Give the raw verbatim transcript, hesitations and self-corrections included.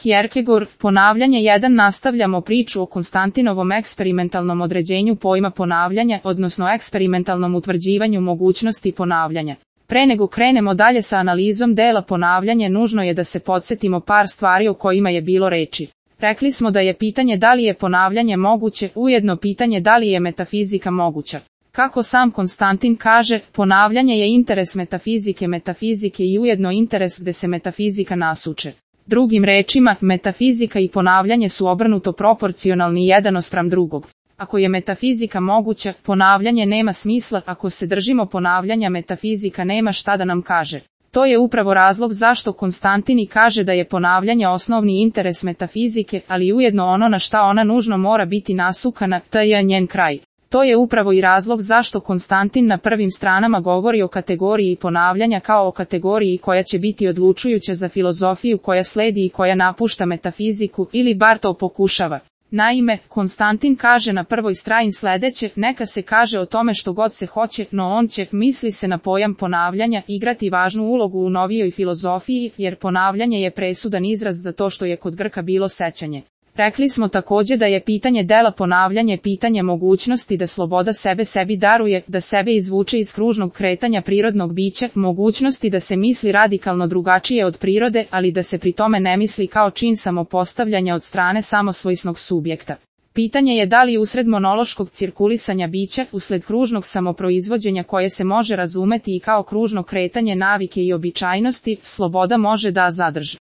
Kierkegaard, ponavljanje jedan. Nastavljamo priču o Konstantinovom eksperimentalnom određenju pojma ponavljanja, odnosno eksperimentalnom utvrđivanju mogućnosti ponavljanja. Pre nego krenemo dalje sa analizom dela ponavljanje, nužno je da se podsjetimo par stvari o kojima je bilo reči. Rekli smo da je pitanje da li je ponavljanje moguće, ujedno pitanje da li je metafizika moguća. Kako sam Konstantin kaže, ponavljanje je interes metafizike metafizike i ujedno interes gde se metafizika nasuče. Drugim rečima, metafizika i ponavljanje su obrnuto proporcionalni jedan ospram drugog. Ako je metafizika moguća, ponavljanje nema smisla, ako se držimo ponavljanja, metafizika nema šta da nam kaže. To je upravo razlog zašto Konstantin i kaže da je ponavljanje osnovni interes metafizike, ali ujedno ono na šta ona nužno mora biti nasukana, to je njen kraj. To je upravo i razlog zašto Konstantin na prvim stranama govori o kategoriji ponavljanja kao o kategoriji koja će biti odlučujuća za filozofiju koja sledi i koja napušta metafiziku, ili bar to pokušava. Naime, Konstantin kaže na prvoj strani sledeće, neka se kaže o tome što god se hoće, no on će, misli se na pojam ponavljanja, igrati važnu ulogu u novijoj filozofiji, jer ponavljanje je presudan izraz za to što je kod Grka bilo sećanje. Rekli smo takođe da je pitanje dela ponavljanje pitanje mogućnosti da sloboda sebe sebi daruje, da sebe izvuče iz kružnog kretanja prirodnog bića, mogućnosti da se misli radikalno drugačije od prirode, ali da se pri tome ne misli kao čin samopostavljanja od strane samosvojsnog subjekta. Pitanje je da li usred monološkog cirkulisanja bića, usled kružnog samoproizvođenja koje se može razumeti i kao kružno kretanje navike i običajnosti, sloboda može da zadrži.